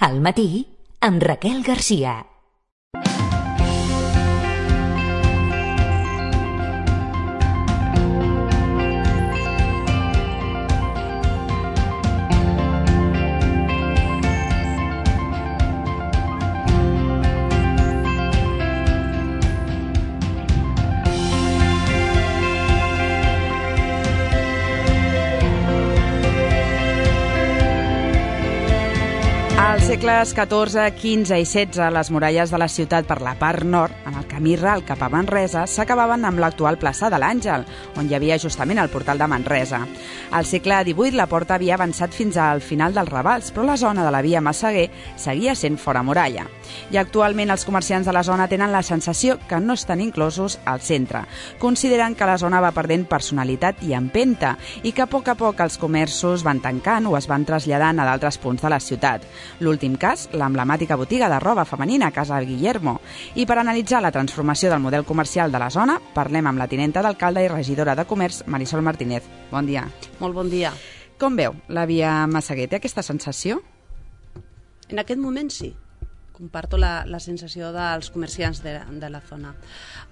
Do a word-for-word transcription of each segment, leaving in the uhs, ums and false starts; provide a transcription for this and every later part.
Al matí, amb Raquel Garcia. Als segles catorze, quinze i setze, les muralles de la ciutat per la part nord, en el camí ral cap a Manresa, s'acabaven amb l'actual plaça de l'Àngel, on hi havia justament el portal de Manresa. Al segle divuit, la porta havia avançat fins al final dels Ravals, però la zona de la via Massaguer seguia sent fora muralla. I actualment els comerciants de la zona tenen la sensació que no estan inclosos al centre. Consideren que la zona va perdent personalitat i empenta i que a poc a poc els comerços van tancant o es van traslladant a d'altres punts de la ciutat. L'últim cas, l'emblemàtica botiga de roba femenina Casa Guillermo. I per analitzar la transformació del model comercial de la zona, parlem amb la tinenta d'alcalde i regidora de Comerç, Marisol Martínez. Bon dia. Molt bon dia. Com veu la via Massaguer? Té aquesta sensació? En aquest moment sí. Comparto la, la sensació dels comerciants de, de la zona.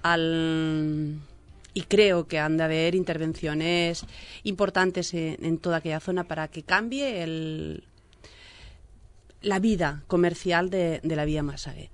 El... Y creo que han de haber intervenciones importantes en, en toda aquella zona para que cambie el... la vida comercial de, de la via Massaguer.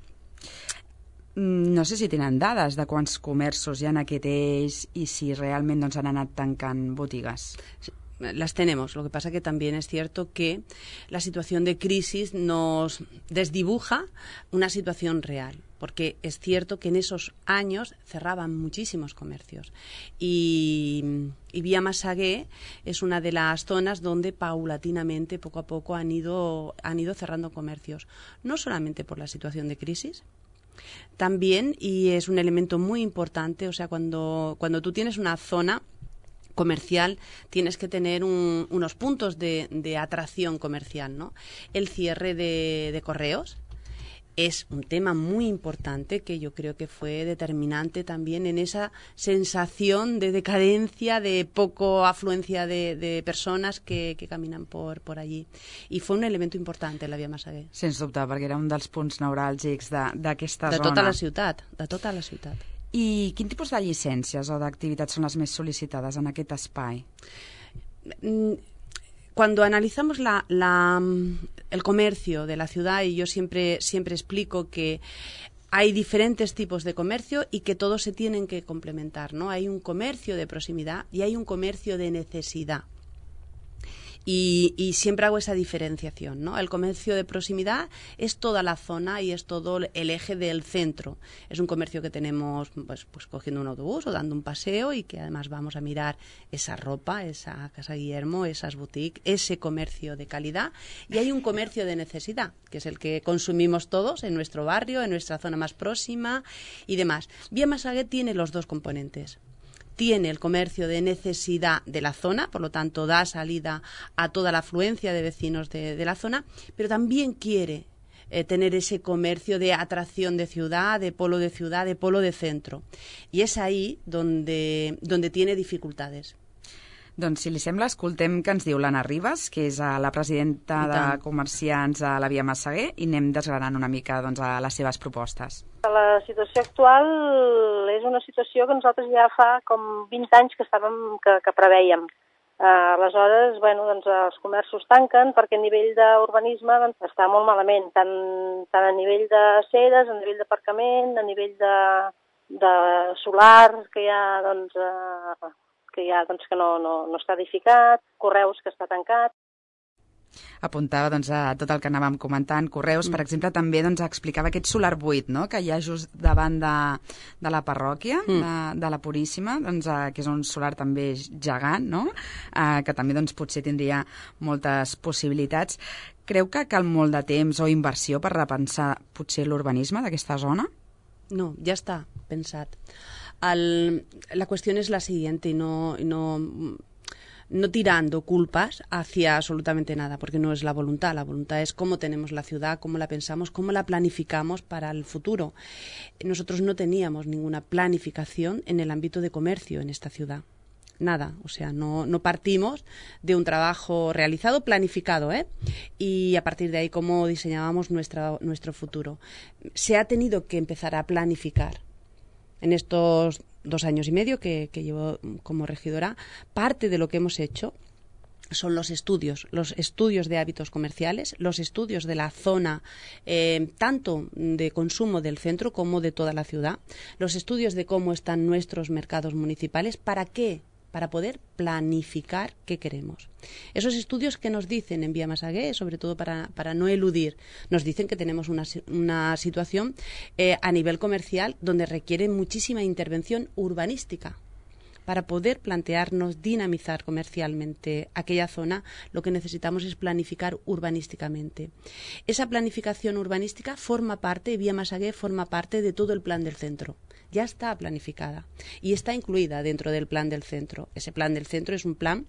No sé si tenen dades de quants comerços hi ha en aquest eix i si realment doncs, han anat tancant botigues. Sí, las tenemos. Lo que pasa que también es cierto que la situación de crisis nos desdibuja una situación real. Porque es cierto que en esos años cerraban muchísimos comercios y, y Vía Massaguer es una de las zonas donde paulatinamente, poco a poco, han ido, han ido cerrando comercios. No solamente por la situación de crisis, también, y es un elemento muy importante, o sea, cuando, cuando tú tienes una zona comercial, tienes que tener un, unos puntos de, de atracción comercial, ¿no? El cierre de, de correos es un tema muy importante que yo creo que fue determinante también en esa sensación de decadencia, de poco afluencia de, de persones que, que caminen por, por allí. I fue un elemento important en la via Massaguer. Sens dubte, perquè era un dels punts neuràlgics d'aquesta zona. De tota la ciutat, de tota la ciutat. I quin tipus de llicències o d'activitats són les més sol·licitades en aquest espai? Cuando analizamos la, la, el comercio de la ciudad, y yo siempre, siempre explico que hay diferentes tipos de comercio y que todos se tienen que complementar, ¿no? Hay un comercio de proximidad y hay un comercio de necesidad. Y, y siempre hago esa diferenciación, ¿no? El comercio de proximidad es toda la zona y es todo el eje del centro. Es un comercio que tenemos pues, pues cogiendo un autobús o dando un paseo y que además vamos a mirar esa ropa, esa Casa Guillermo, esas boutiques, ese comercio de calidad. Y hay un comercio de necesidad, que es el que consumimos todos en nuestro barrio, en nuestra zona más próxima y demás. Vía Massaguer tiene los dos componentes. Tiene el comercio de necesidad de la zona, por lo tanto da salida a toda la afluencia de vecinos de, de la zona, pero también quiere eh, tener ese comercio de atracción de ciudad, de polo de ciudad, de polo de centro. Y es ahí donde, donde tiene dificultades. Doncs, si li sembla, escoltem que ens diu l'Anna Ribas, que és la presidenta de comerciants a la via Massaguer, i anem desgranant una mica doncs, a les seves propostes. La situació actual és una situació que nosaltres ja fa com vint anys que estàvem que, que preveiem. Uh, aleshores, bueno, doncs, els comerços tanquen perquè a nivell d'urbanisme doncs, està molt malament, tant, tant a nivell de sedes, a nivell d'aparcament, a nivell de, de solar, que hi ha, doncs, uh, que, hi ha, doncs, que no, no, no està edificat, correus que està tancat. Apuntava doncs, a tot el que anàvem comentant, correus, per exemple, també doncs, explicava aquest solar buit, no?, que hi ha just davant de, de la parròquia, mm. de, de la Puríssima, doncs, eh, que és un solar també gegant, no?, eh, que també doncs, potser tindria moltes possibilitats. Creu que cal molt de temps o inversió per repensar potser l'urbanisme d'aquesta zona? No, ya está pensat. Al, la cuestión es la siguiente, y no, y no, no tirando culpas hacia absolutamente nada, porque no es la voluntad. La voluntad es cómo tenemos la ciudad, cómo la pensamos, cómo la planificamos para el futuro. Nosotros no teníamos ninguna planificación en el ámbito de comercio en esta ciudad. nada, o sea, no, no partimos de un trabajo realizado, planificado, ¿eh? Y a partir de ahí cómo diseñábamos nuestra, nuestro futuro. Se ha tenido que empezar a planificar en estos dos años y medio que, que llevo como regidora. Parte de lo que hemos hecho son los estudios, los estudios de hábitos comerciales, los estudios de la zona, eh, tanto de consumo del centro como de toda la ciudad, los estudios de cómo están nuestros mercados municipales. ¿Para qué? Para poder planificar qué queremos. Esos estudios que nos dicen en Vía Massaguer, sobre todo para, para no eludir, nos dicen que tenemos una, una situación eh, a nivel comercial donde requiere muchísima intervención urbanística. Para poder plantearnos dinamizar comercialmente aquella zona, lo que necesitamos es planificar urbanísticamente. Esa planificación urbanística forma parte, Vía Massaguer forma parte de todo el plan del centro. Ya está planificada y está incluida dentro del plan del centro. Ese plan del centro es un plan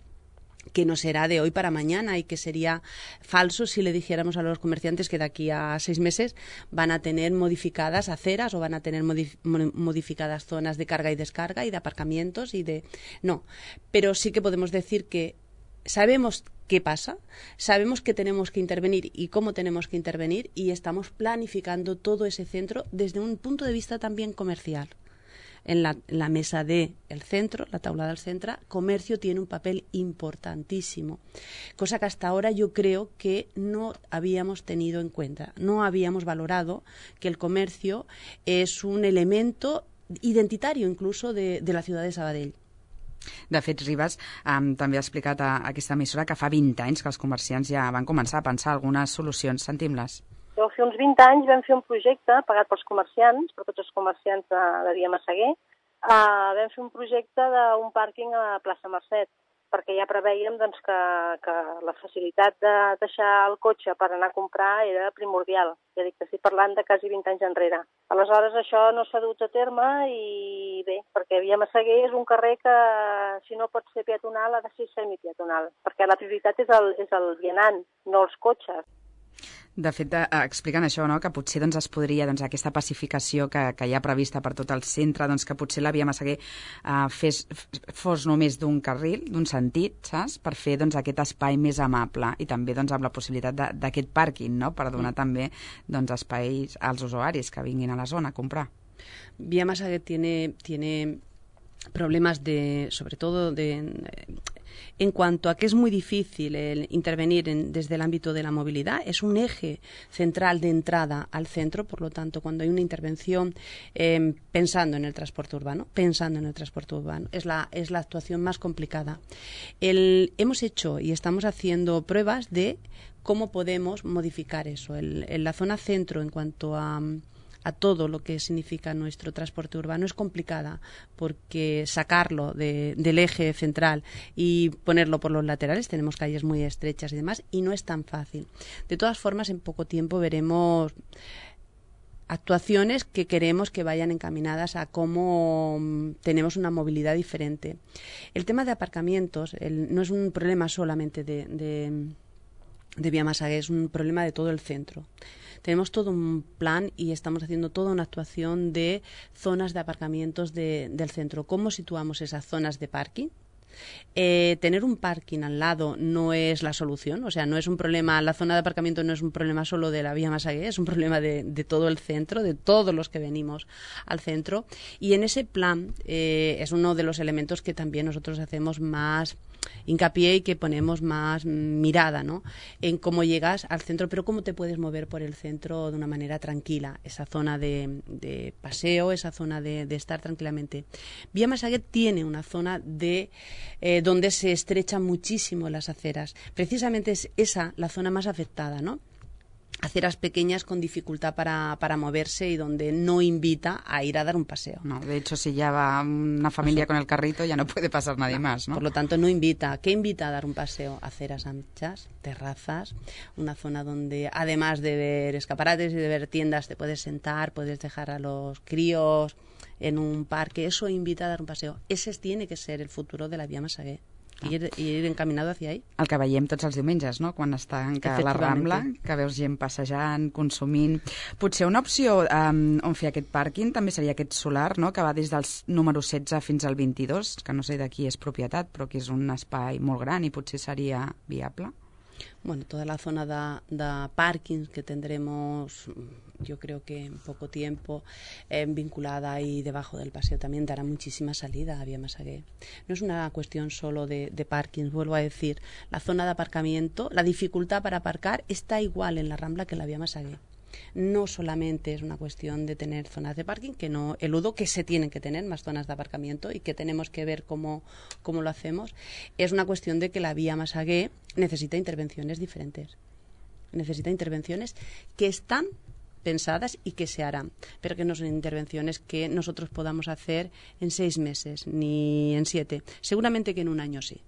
que no será de hoy para mañana y que sería falso si le dijéramos a los comerciantes que de aquí a seis meses van a tener modificadas aceras o van a tener modif- modificadas zonas de carga y descarga y de aparcamientos y de... No, pero sí que podemos decir que sabemos qué pasa, sabemos que tenemos que intervenir y cómo tenemos que intervenir y estamos planificando todo ese centro desde un punto de vista también comercial. En la, en la mesa del centro, la taula del centro, comercio tiene un papel importantísimo, cosa que hasta ahora yo creo que no habíamos tenido en cuenta, no habíamos valorado que el comercio es un elemento identitario incluso de, de la ciudad de Sabadell. De fet, Ribas um, també ha explicat a, a aquesta emissora que fa vint anys que els comerciants ja van començar a pensar algunes solucions. Sentim-les. Deu fer uns vint anys vam fer un projecte pagat pels comerciants, per tots els comerciants de, de Via Massaguer. Uh, vam fer un projecte d'un pàrquing a plaça Mercet, perquè ja preveiem doncs, que, que la facilitat de deixar el cotxe per anar a comprar era primordial. Ja dic que estic parlant de quasi vint anys enrere. Aleshores això no s'ha dut a terme i bé, perquè Via Massaguer és un carrer que si no pot ser peatonal ha de ser semipeatonal, perquè la prioritat és el, és el vianant, no els cotxes. De fet, eh, expliquen això, no? Que potser doncs, es podria, doncs, aquesta pacificació que, que hi ha prevista per tot el centre, doncs, que potser la Via Massaguer eh, fes, fos només d'un carril, d'un sentit, saps? Per fer doncs, aquest espai més amable i també doncs, amb la possibilitat d'aquest pàrquing, no? Per donar mm. també doncs, espais als usuaris que vinguin a la zona a comprar. Via Massaguer tiene, tiene problemas de, sobre todo de... En cuanto a que es muy difícil el intervenir en, desde el ámbito de la movilidad, es un eje central de entrada al centro, por lo tanto, cuando hay una intervención eh, pensando en el transporte urbano, pensando en el transporte urbano, es la, es la actuación más complicada. El, hemos hecho y estamos haciendo pruebas de cómo podemos modificar eso. El, en la zona centro, en cuanto a... a todo lo que significa nuestro transporte urbano es complicada porque sacarlo de, del eje central y ponerlo por los laterales, tenemos calles muy estrechas y demás, y no es tan fácil. De todas formas, en poco tiempo veremos actuaciones que queremos que vayan encaminadas a cómo tenemos una movilidad diferente. El tema de aparcamientos el, no es un problema solamente de, de, de Vía Massaguer, es un problema de todo el centro. Tenemos todo un plan y estamos haciendo toda una actuación de zonas de aparcamientos de, del centro. ¿Cómo situamos esas zonas de parking? Eh, tener un parking al lado no es la solución, o sea, no es un problema, la zona de aparcamiento no es un problema solo de la Vía Massaguer, es un problema de, de todo el centro, de todos los que venimos al centro. Y en ese plan eh, es uno de los elementos que también nosotros hacemos más hincapié y que ponemos más mirada, ¿no? En cómo llegas al centro, pero cómo te puedes mover por el centro de una manera tranquila, esa zona de, de paseo, esa zona de, de estar tranquilamente. Vía Massaguer tiene una zona de eh, donde se estrechan muchísimo las aceras. Precisamente es esa la zona más afectada, ¿no? Aceras pequeñas con dificultad para, para moverse y donde no invita a ir a dar un paseo. No, de hecho, si ya va una familia o sea, con el carrito, ya no puede pasar nadie no, más, ¿no? Por lo tanto, no invita. ¿Qué invita a dar un paseo? Aceras anchas, terrazas, una zona donde, además de ver escaparates y de ver tiendas, te puedes sentar, puedes dejar a los críos en un parque. Eso invita a dar un paseo. Ese tiene que ser el futuro de la Vía Massaguer. Ir, ir encaminado hacia ahí. El que veiem tots els diumenges, no? Quan està a la Rambla, que veus gent passejant, consumint... Potser una opció um, on fer aquest pàrquing també seria aquest solar, no? Que va des del número setze fins al vint-i-dos, que no sé de qui és propietat, però que és un espai molt gran i potser seria viable. Bueno, toda la zona de, de parking que tendremos, yo creo que en poco tiempo, eh, vinculada ahí debajo del paseo, también dará muchísima salida a Vía Massaguer. No es una cuestión solo de, de parking, vuelvo a decir, la zona de aparcamiento, la dificultad para aparcar está igual en la Rambla que en la Vía Massaguer. No solamente es una cuestión de tener zonas de parking, que no eludo que se tienen que tener más zonas de aparcamiento y que tenemos que ver cómo, cómo lo hacemos, es una cuestión de que la Vía Massaguer necesita intervenciones diferentes, necesita intervenciones que están pensadas y que se harán, pero que no son intervenciones que nosotros podamos hacer en seis meses ni en siete, seguramente que en un año sí.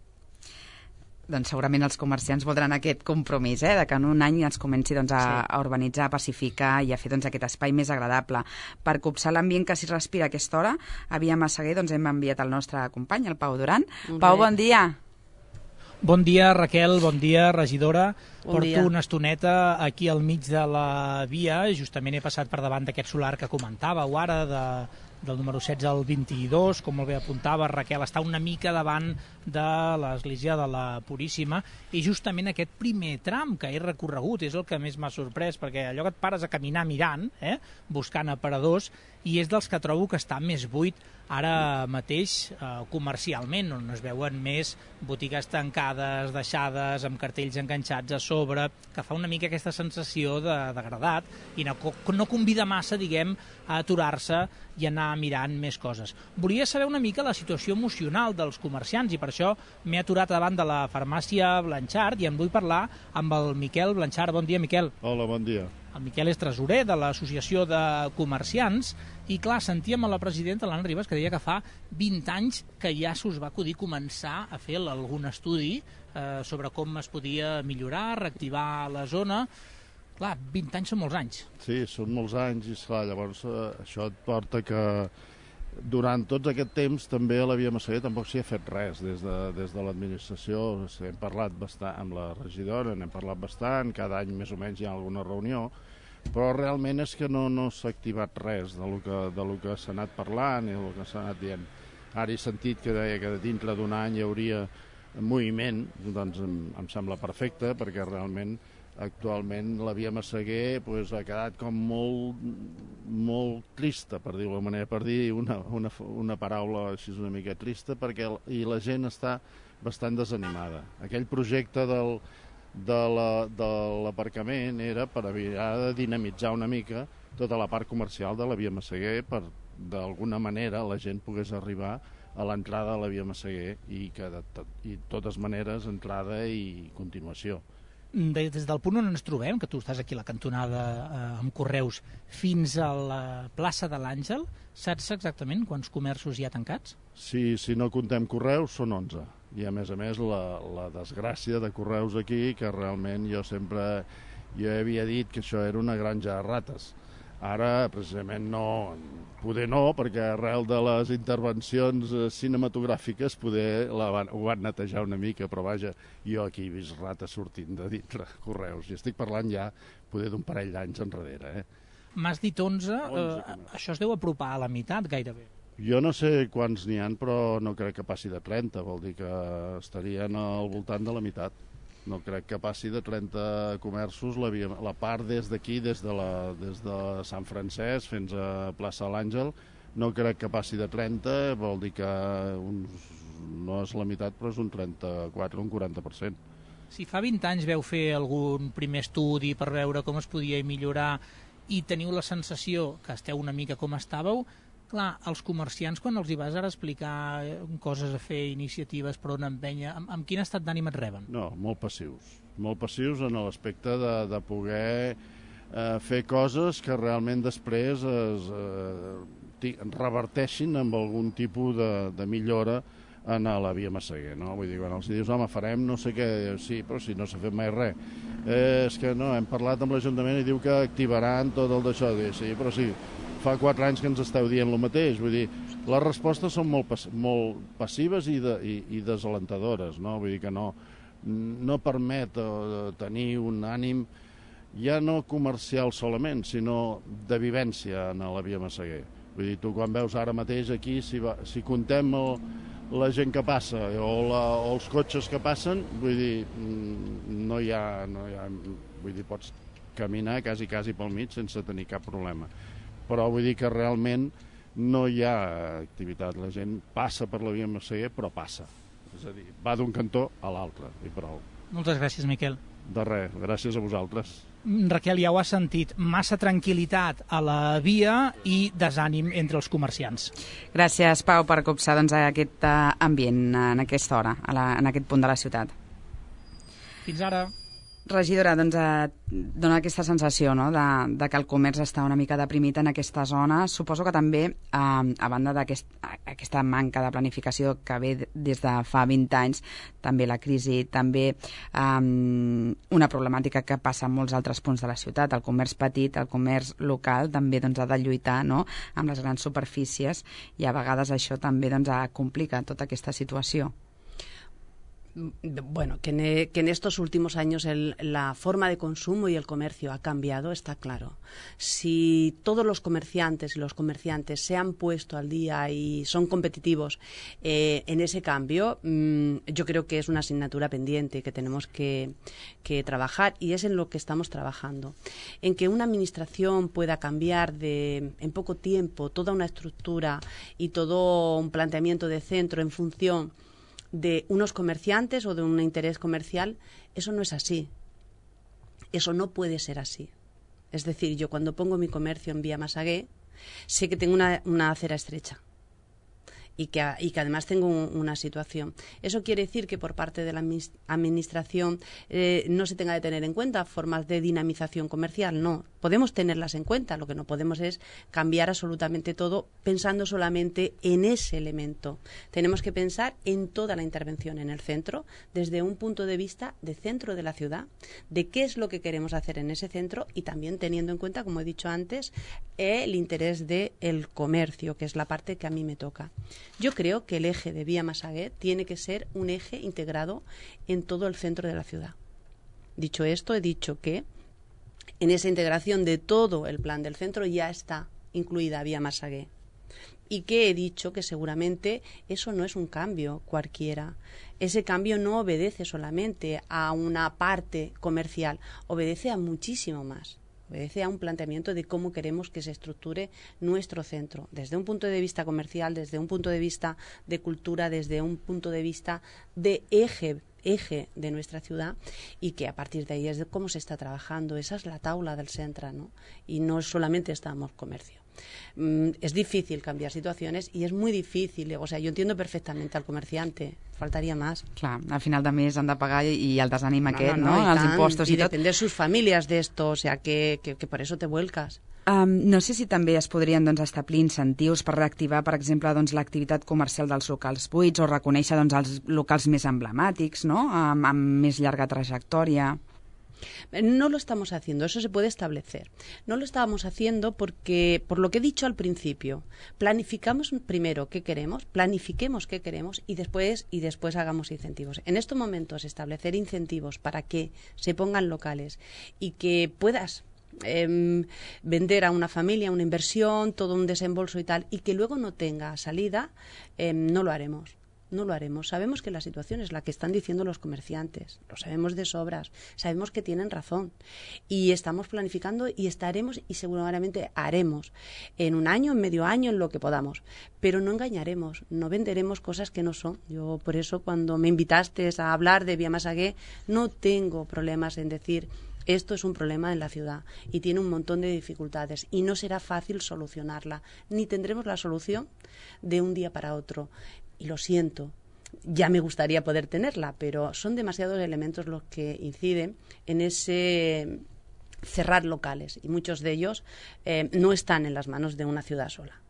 Doncs segurament els comerciants voldran aquest compromís, eh, de que en un any es comenci doncs, a, sí. a urbanitzar, a pacificar i a fer doncs, aquest espai més agradable. Per copsar l'ambient que s'hi respira a aquesta hora, a Via Massaguer doncs, hem enviat el nostre company, el Pau Duran. Molt Pau, bé. Bon dia. Bon dia, Raquel, bon dia, regidora. Bon Porto dia. una estoneta aquí al mig de la via, justament he passat per davant d'aquest solar que comentàveu ara, de, del número setze al vint-i-dos, com molt bé apuntava Raquel, està una mica davant de l'església de la Puríssima, i justament aquest primer tram que he recorregut és el que més m'ha sorprès, perquè allò que et pares a caminar mirant, eh, buscant aparadors, i és dels que trobo que està més buit ara mateix eh, comercialment, on es veuen més botigues tancades, deixades, amb cartells enganxats a sobre, que fa una mica aquesta sensació de degradat i no, no convida massa, diguem, a aturar-se i anar mirant més coses. Volia saber una mica la situació emocional dels comerciants i per això m'he aturat davant de la farmàcia Blanchard i en vull parlar amb el Miquel Blanchard. Bon dia, Miquel. Hola, bon dia. El Miquel és tresorer de l'Associació de Comerciants i, clar, sentíem a la presidenta, l'Anna Ribas, que deia que fa vint anys que ja s'us va acudir començar a fer algun estudi eh, sobre com es podia millorar, reactivar la zona. Clar, vint anys són molts anys. Sí, són molts anys i, esclar, llavors eh, això et porta que durant tot aquest temps també a la Via Massaguer tampoc s'hi ha fet res des de, des de l'administració. Hem parlat bastant amb la regidora, n'hem parlat bastant, cada any més o menys hi ha alguna reunió, però realment és que no, no s'ha activat res de lo que, de lo que s'ha anat parlant i del que s'ha anat dient. Ara he sentit que deia que dintre d'un any hi hauria moviment, doncs em, em sembla perfecte, perquè realment actualment la Via Massaguer pues, ha quedat com molt, molt trista, per dir-ho manera, per dir una, una, una paraula així una mica trista, perquè i la gent està bastant desanimada. Aquell projecte del, de l'aparcament era per haver de dinamitzar una mica tota la part comercial de la Via Massaguer per, d'alguna manera, la gent pogués arribar a l'entrada de la Via Massaguer i que de, i totes maneres entrada i continuació. Des del punt on ens trobem, que tu estàs aquí a la cantonada eh, amb Correus, fins a la plaça de l'Àngel, saps exactament quants comerços hi ha tancats? Sí, si no comptem Correus, són onze. I a més a més la, la desgràcia de Correus aquí, que realment jo sempre jo havia dit que això era una granja de rates. Ara, precisament, no, poder no, perquè arrel de les intervencions cinematogràfiques poder la van, ho van netejar una mica, però vaja, jo aquí he vist rates sortint de dintre Correus, i estic parlant ja poder d'un parell d'anys enrere. Eh? M'has dit onze, eh, això es deu apropar a la meitat gairebé. Jo no sé quants n'hi ha, però no crec que passi de trenta, vol dir que estarien al voltant de la meitat. No crec que passi de trenta comerços la, via, la part des d'aquí, des, de la, des de Sant Francesc fins a plaça de l'Àngel, no crec que passi de trenta, vol dir que uns, no és la meitat, però és un trenta-quatre, un quaranta per cent. Si fa vint anys veu fer algun primer estudi per veure com es podia millorar i teniu la sensació que esteu una mica com estàveu, clar, els comerciants, quan els hi vas ara explicar coses a fer, iniciatives per on empènyer, amb, amb quin estat d'ànim et reben? No, molt passius. Molt passius en l'aspecte de, de poder eh, fer coses que realment després es eh, reverteixin amb algun tipus de, de millora en la Via Massaguer, no? Vull dir, quan els dius, home, farem no sé què, sí, però si no s'ha fet mai res. Eh, és que no, hem parlat amb l'Ajuntament i diu que activaran tot el d'això. Sí, però sí, fa quatre anys que ens esteu dient el mateix, vull dir, les respostes són molt, pas, molt passives i, de, i, i desalentadores, no? Vull dir que no, no permet uh, tenir un ànim ja no comercial solament, sinó de vivència en la Via Massaguer. Vull dir, tu quan veus ara mateix aquí, si, va, si contem el, la gent que passa o, la, o els cotxes que passen, vull dir, no hi ha, no hi ha, vull dir, pots caminar quasi, quasi pel mig sense tenir cap problema. Però vull dir que realment no hi ha activitat. La gent passa per la Via Massaguer, però passa. És a dir, va d'un cantó a l'altre, i prou. Moltes gràcies, Miquel. De res, gràcies a vosaltres. Raquel, ja ho has sentit, massa tranquil·litat a la via i desànim entre els comerciants. Gràcies, Pau, per copsar doncs, aquest uh, ambient en aquesta hora, a la, en aquest punt de la ciutat. Fins ara. Regidora, doncs eh, dona aquesta sensació, no?, de, de que el comerç està una mica deprimit en aquesta zona. Suposo que també, eh, a banda d'aquesta aquest, manca de planificació que ve des de fa vint anys, també la crisi, també eh, una problemàtica que passa en molts altres punts de la ciutat. El comerç petit, el comerç local, també doncs, ha de lluitar, no?, amb les grans superfícies, i a vegades això també doncs, complica tota aquesta situació. Bueno, que en, que en estos últimos años el, la forma de consumo y el comercio ha cambiado, está claro. Si todos los comerciantes y los comerciantes se han puesto al día y son competitivos eh, en ese cambio, mmm, yo creo que es una asignatura pendiente que tenemos que, que trabajar, y es en lo que estamos trabajando. En que una administración pueda cambiar de, en poco tiempo toda una estructura y todo un planteamiento de centro en función de unos comerciantes o de un interés comercial, eso no es así. Eso no puede ser así. Es decir, yo cuando pongo mi comercio en Vía Massaguer, sé que tengo una, una acera estrecha y que, y que además tengo un, una situación. ¿Eso quiere decir que por parte de la administración eh, no se tenga de tener en cuenta formas de dinamización comercial? No, podemos tenerlas en cuenta. Lo que no podemos es cambiar absolutamente todo pensando solamente en ese elemento. Tenemos que pensar en toda la intervención en el centro, desde un punto de vista de centro de la ciudad, de qué es lo que queremos hacer en ese centro, y también teniendo en cuenta, como he dicho antes, el interés del comercio, que es la parte que a mí me toca. Yo creo que el eje de Vía Massaguer tiene que ser un eje integrado en todo el centro de la ciudad. Dicho esto, he dicho que en esa integración de todo el plan del centro ya está incluida Vía Massaguer. Y que he dicho que seguramente eso no es un cambio cualquiera. Ese cambio no obedece solamente a una parte comercial, obedece a muchísimo más. Obedece a un planteamiento de cómo queremos que se estructure nuestro centro, desde un punto de vista comercial, desde un punto de vista de cultura, desde un punto de vista de eje, eje de nuestra ciudad, y que a partir de ahí es de cómo se está trabajando. Esa es la taula del centro, ¿no? Y no solamente estamos comercio. Mm, es difícil cambiar situaciones y es muy difícil, o sea, yo entiendo perfectamente al comerciante, faltaría más. Clar, al final de mes han de pagar i el desànim no, aquest, no, no? no Els tant, impostos i, i tot. depender sus familias de esto, o sea, que, que, que por eso te vuelcas. Um, no sé si també es podrien doncs, establir incentius per reactivar, per exemple, doncs, l'activitat comercial dels locals buits, o reconèixer doncs, els locals més emblemàtics, no?, amb, amb més llarga trajectòria. No lo estamos haciendo, eso se puede establecer. No lo estábamos haciendo porque, por lo que he dicho al principio, planificamos primero qué queremos, planifiquemos qué queremos y después, y después hagamos incentivos. En estos momentos, establecer incentivos para que se pongan locales y que puedas eh, vender a una familia una inversión, todo un desembolso y tal, y que luego no tenga salida, eh, no lo haremos. No lo haremos. Sabemos que la situación es la que están diciendo los comerciantes. Lo sabemos de sobras. Sabemos que tienen razón. Y estamos planificando y estaremos y seguramente haremos en un año, en medio año, en lo que podamos. Pero no engañaremos, no venderemos cosas que no son. Yo por eso cuando me invitaste a hablar de Vía Massaguer no tengo problemas en decir esto es un problema en la ciudad y tiene un montón de dificultades y no será fácil solucionarla. Ni tendremos la solución de un día para otro. Y lo siento, ya me gustaría poder tenerla, pero son demasiados elementos los que inciden en ese cerrar locales y muchos de ellos eh, no están en las manos de una ciudad sola.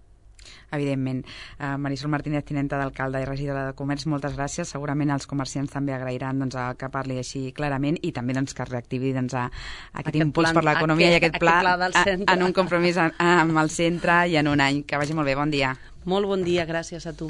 Evidentment. Uh, Marisol Martínez, tinenta d'alcalde i regidora de Comerç, moltes gràcies. Segurament els comerciants també agrairan doncs, que parli així clarament i també doncs, que es reactivi doncs, a, a aquest, aquest impuls plan, per l'economia i aquest pla, pla a, en un compromís a, a, amb el centre i en un any. Que vagi molt bé. Bon dia. Molt bon dia, gràcies a tu.